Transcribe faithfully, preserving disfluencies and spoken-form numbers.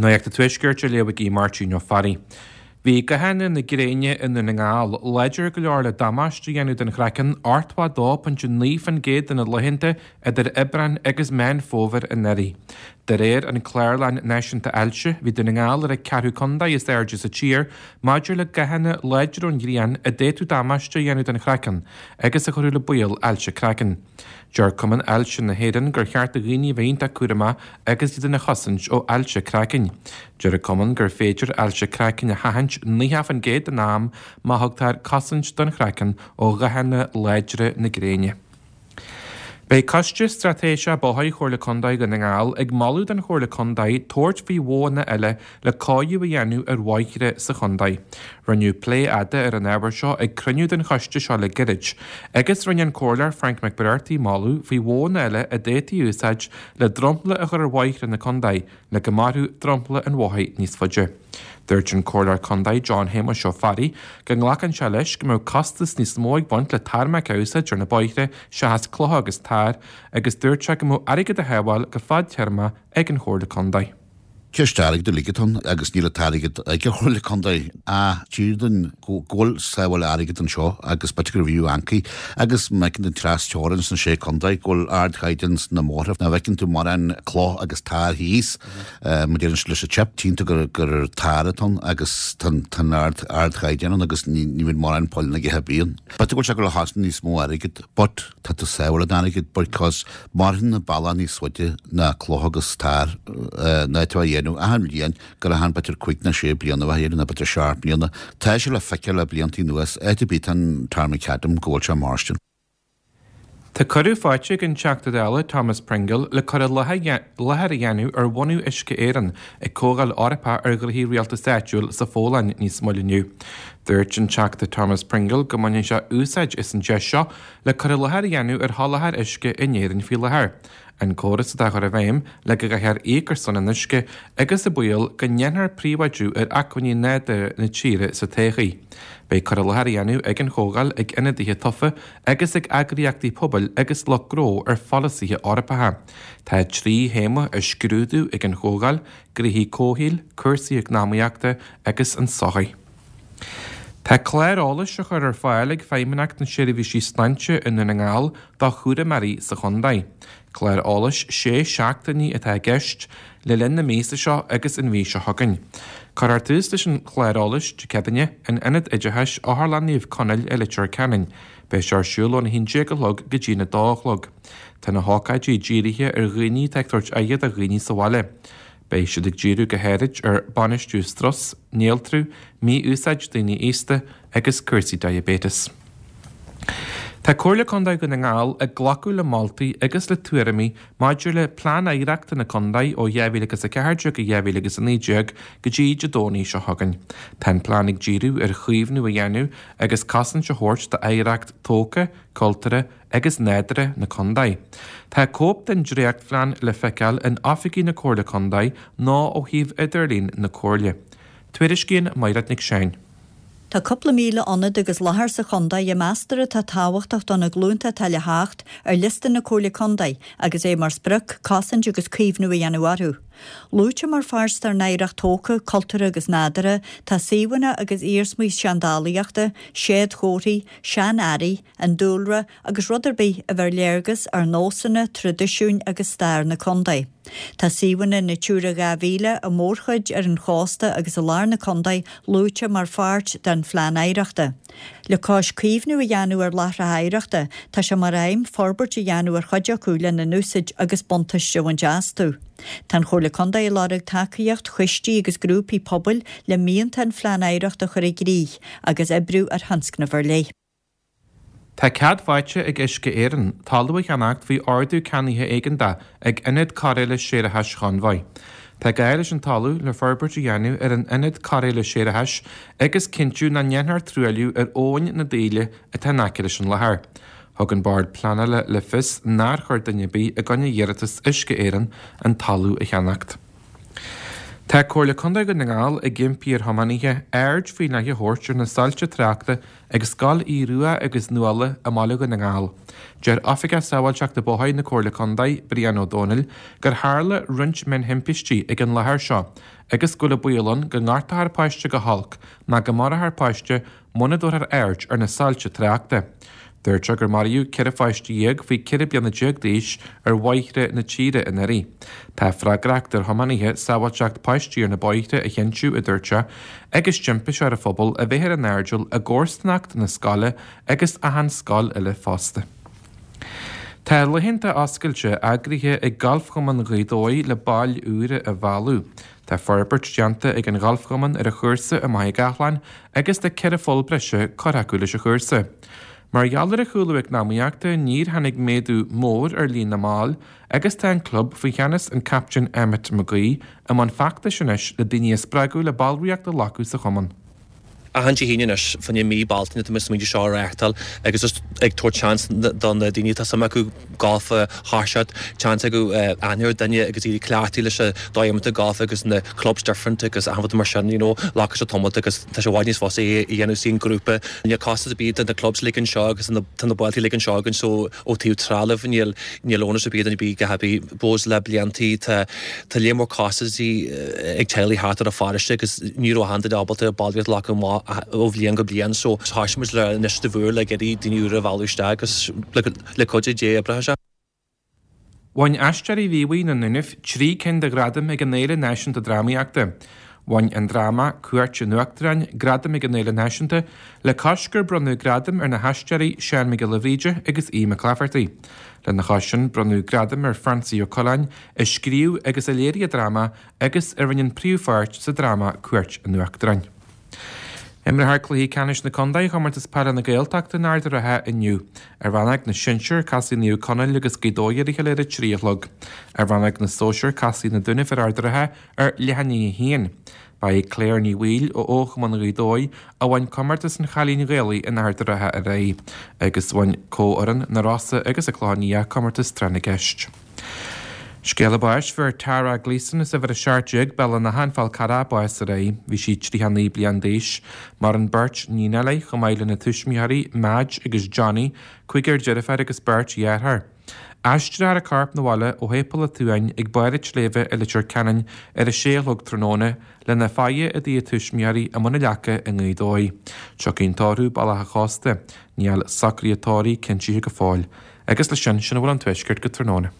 Nuacht an Tuaiscirt á léamh ag Máirtín Ó Fearraigh. Bhí gathanna na gréine i nDún na nGall láidir go leor le damáiste a dhéanamh don chraiceann ochtó a dó pointe naoi faoin gcéad de na laethanta idir Aibreán agus Meán Fómhair anuraidh. De réir an Clárlann Náisiúnta Ailse, bhí Dún na nGall ar an ceathrú contae is airde sa tír maidir le gathanna láidre ón ghrian a d'fhéadfadh damáiste a dhéanamh don chraiceann agus a chuirfeadh le baol ailse craicinn. Deir Cumann Ailse na hÉireann gur cheart do dhaoine a bheith iontach cúramach agus iad ina chosaint ó ailse craicinn. Deir an Cumann gur féidir ailse craicinn a sheachaint nócha faoin gcéad den am má thugtar cosaint don chraiceann ó ghathanna láidre na gréine. Beidh Coiste Straitéiseach Bóthair Chomhairle Contae Dhún na nGall ag moladh don Chomhairle Contae tabhairt faoi mhodhanna eile le cóiriú a dhéanamh ar bhóithre sa chontae. Rinneadh plé fhada ar an ábhar seo ag cruinniú den choiste seo le gairid, agus rinne an Comhairleoir Frank McBrearty moladh faoi mhodhanna eile a d'fhéadfaí a úsáid le dromchla a chur ar bhóithre na contae le go mairfeadh dromchla an bhóthair níos faide. Dúirt an Comhairleoir Contae John Shéamuis Ó Fearraigh go nglacann sé leis go mbeadh costas níos mó ag baint le tarmac a úsáid ar na bóithre seachas clocha agus tar, agus dúirt sé go mbeadh airgead a shábháil go fadtéarmach ag an Chomhairle Contae. Ceist airgid uilig atá ann agus níl an t-airgead ag an Chomhairle Contae. Ach tír dúinn go bhfuil sábháil airgid anseo agus b'fhéidir gur bhfiú ancaí agus má fheiceann tú an tras teorainn sna sé contae go bhfuil ardchaighdeán sna mbóithre. Ná bhfeiceann tú mórán cloch agus tar thíos mar deireann siad leis an chip, tchíonn tú gur gur tar atá ann agus tá an ard ardchaighdeán ann agus ní ní bhíonn mórán poill ag ithe bíonn. B'fhéidir go bhfuil sé ag dul a chosnamh níos mó airgid but tá tú sábháil an airgid because maireann an bealach níos faide ná cloch agus tar ná tú a dhéanamh achan bhliain gur achan b'fhéidir cúig nó sé bliana a bheith nó b'fhéidir seacht mbliana. Tá sé le feiceáil le blianta anuas áit ar bith tá an tarmacadam go bhfuil sé marstin. Tá cuireadh faighte ag an Teachta Dála Thomas Pringle le cur i láthair a dhéanamh ar bhunú Uisce Éireann ag Comhdháil Eorpach ar Ghnoithí Rialtais Áitiúil sa Pholainn níos moille inniu. Dúirt an Teachta Thomas Pringle go mbaineann sé úsáid as an deis seo le cur i láthair a dhéanamh ar sholáthar uisce in Éirinn faoi láthair. An córas atá á chur i bhfeidhm le go gcaithfear íoc ar son an uisce agus an baol go ndéanfar príobháidiú ar acmhainní nádúrtha na tíre sa todhchaí. Beidh cur i láthair a dhéanamh ag an chomhdháil ag ionadaithe tofa agus ag eagraíochtaí pobail agus lucht gnó ar pholasaithe Eorpacha. Tá trí théama á scrúdú ag an chomhdháil, gnoithí comhshaoil, cúrsaí eacnamaíochta agus an tsochaí. Tá clár eolais á chur ar fáil ag Feidhmeannacht na Seirbhísí Sláinte i nDún na nGall do chúramóirí sa chontae. Clár eolais sé seachtainí atá i gceist le linn na míosa seo agus an mhí seo chugainn. Cuirfear tús leis an chlár eolais Dé Céadaoine in Ionad Oideachais Otharlann Naomh Conaill i Leitir Ceanainn. Beidh sé ar siúl óna haon déag a chlog go dtí na dó a chlog. Tá na hócáidí dírithe ar dhaoine atá ag tabhairt aire do dhaoine sa bhaile. Beidh siad ag díriú go háirid ar bainistiú strus, néaltrú, mí-úsáid daoine aosta agus cúrsaí diaibéitis. Tá Comhairle Contae Dhún na nGall ag glacadh le moltaí agus le tuairimí maidir le Plean Oidhreachta na Contae ó dhá mhíle agus a ceathair déag go dhá mhíle agus a naoi déag go dtí Dé Domhnaigh seo chugainn. Tá an plean ag díriú ar chaomhnú a dhéanamh agus cosaint a thabhairt d'oidhreacht tógtha, cultúrtha agus nádúrtha na contae. Tá cóip den dréachtphlean le feiceáil in oifigí na Comhairle Contae nó ó shuíomh idirlín na Comhairle. Tuairiscíonn Mairéad Nic Seáin. Tá cúpla míle ionad agus láthair sa chontae a meastar atá tábhachtach do na glúnta atá le theacht ar liosta na Comhairle Contae agus é mar sprioc cosaint agus caomhnú a dhéanamh orthu. Luaite mar pháirt dár n-oidhreacht tógtha, cultúrtha agus nádúrtha, tá suíomhanna agus iarsmaí seandálaíochta, séadchomharthaí, sean-earraí, an dúlra agus rud ar bith a bheir léargas ar nósanna, traidisiúin agus stair na contae. Tá suíomhanna Natura dhá mhíle a mórchuid ar an chósta agus i lár na contae luaite mar pháirt den phlean oidhreachta. Le cois caomhnú a dhéanamh ar láithreacha oidhreachta, tá sé mar aidhm forbairt a dhéanamh ar chuid acu lena n-úsáid agus buntáiste a bhaint astu. Tá an Chomhairle Contae ag lorg tacaíocht choistí agus grúpaí pobail le mianta an phlean oidhreachta a chur i gcrích agus oibriú ar thionscnamh ar leith. Tá cead faighte ag Uisce Éireann talamh a cheannacht faoi ordú ceannaithe éigeantach ag Ionad Cairéala Séarachais Chonbhaigh. Tá gá leis an talamh le forbairt a dhéanamh ar an Ionad Cairéala Séarachais agus cinntiú nach ndéanfar truailliú ar abhainn na Daoile atá in aice leis an láthair. Thug an Bord Pleanála le fios nár chuir duine ar bith i gcoinne iarratas Uisce Éireann an talamh a cheannacht. Tá Comhairle Contae Dhún na nGall ag impí ar thiománaithe aird faoi leith a thabhairt ar na soilse tráchta ag Scoil Aodh Rua agus Nuala i mBaile Dhún na nGall. Deir Oifigeach Sábháilteachta Bóthair na Comhairle Contae, Brian Ó Dónaill, gur tharla roinnt mionthimpistí ag an láthair seo agus go bhfuil an baol ann go ngortófar páiste go holc nó go marófar páiste muna dtabharfar aird ar na soilse tráchta. Dúirt sé gur maraíodh ceithre pháiste dhéag faoi ceithre bliana déag d'aois ar bhóithre na tíre anuraidh. Tá freagracht ar thiománaithe sábháilteacht páistí ar na bóithre a chinntiú, a dúirt sé, agus d'impigh sé ar an phobal a bheith ar a n-airdeall i gcomharsanacht na scoile agus achan scoil eile fosta. Tá laethanta oscailte eagraithe ag Galfchumann Ghaoth Dobhair le baill úra a mhealladh. Tá forbairt déanta ag an Ghalfchumann ar a chúrsa i Machaire Gathlán agus tá ceithre pholl breise curtha acu leis an chúrsa. Mar gheall ar an chúlú eacnamaíochta, níor tháinig méadú mór ar líon na mball agus tá an club, faoi cheannas an Captaen Emmet McGee, i mbun feachtais anois le daoine a spreagadh le ballraíocht a ghlacadh sa chumann. Achan Dé hAoine anois, fá choinne mí Bealtaine, tá muid ag smaointiú seo a reáchtáil agus just ag tabhairt seans do na daoine atá suim acu golf a thoiseacht, seans acu aithne ar duine agus iad ag cleachtadh leis an dóigh a imrítear golf agus na clubs different agus achan rud mar sin, you know, glacfaidh sé tamall agus tá sé i bhfad níos fusa é a dhéanamh sa ngrúpa. Níl costas ar bith do na clubs uilig anseo agus tá na bailte uilig anseo againn so ó taobh trealaimh níl níl onus ar bith ar duine ar bith go happy bos le bliantaí tá tá léar mór costasaí ag teaghlaigh thart ar an pharóiste agus ní raibh achan duine ábalta ballraíocht a ghlacadh amach ó bhliain go bliain so thoisigh muid le anois de bharr le iarraidh daoine úra a mhealladh isteach agus le cuidiú Dé oibreoidh sé. Bhain Aisteoirí Mhíobhaigh na nDúnaibh trí cinn de ghradaim ag an Fhéile Náisiúnta Drámaíochta. Bhain an dráma Cuairt an Uachtaráin gradam ag an Fhéile Náisiúnta le cois gur bronnadh gradaim ar na haisteoirí Seán Mac Giolla Bhríde agus Aodh Mac Laifeartaigh. Lena chois sin bronnadh gradam ar Francie Ó Coileáin a scríobh agus a léirigh an dráma agus a rinne an príomhpháirt sa dráma Cuairt an Uachtaráin. Imreofar cluichí ceannais na contae i gComórtas Peile na Gaeltachta in Ard an Rátha inniu. Ar rannóg na sinsear, casfaidh Naomh Conaill agus Gaoth Dobhair ar a chéile ar a trí a chlog. Ar rannóg na sóisear, casfaidh na Dúnaibh ar Ard an Rátha ar leath i ndiaidh a haon. Ba í Claire Ní Bhaoill ó Fhochumann Ghaoth Dobhair a bhain comórtas an Chailín Ghaelaigh in Ard an Rátha aréir, agus bhain comhfhoireann na Rosa agus an Clochán Liath comórtas Tráth na gCeist. Scéala báis, Fuair Tara Gleeson as uimhir a seacht déag, Béal an Átha, An Fál Carrach, bás aréir. Bhí sí tríocha naoi bliain d'aois. Maireann beirt níonacha léi, chomh maith lena tuismitheoirí, Madge agus Johnny, cúigear deirféar agus beirt dheartháir. Aistreofar a corp 'na bhaile ó Shéipéal an tSuain ag Barr an tSléibhe i Leitir Ceanainn ar a sé a chlog tráthnóna, lena faire i dtigh a tuismitheoirí i mBun an Leaca i nGaoth Dobhair. Tiocfaidh an tórramh Bealach an Chósta. Níl socruithe tórraimh cinntithe go fóill. Agus leis sin, sin a bhfuil ón Tuaisceart go tráthnóna.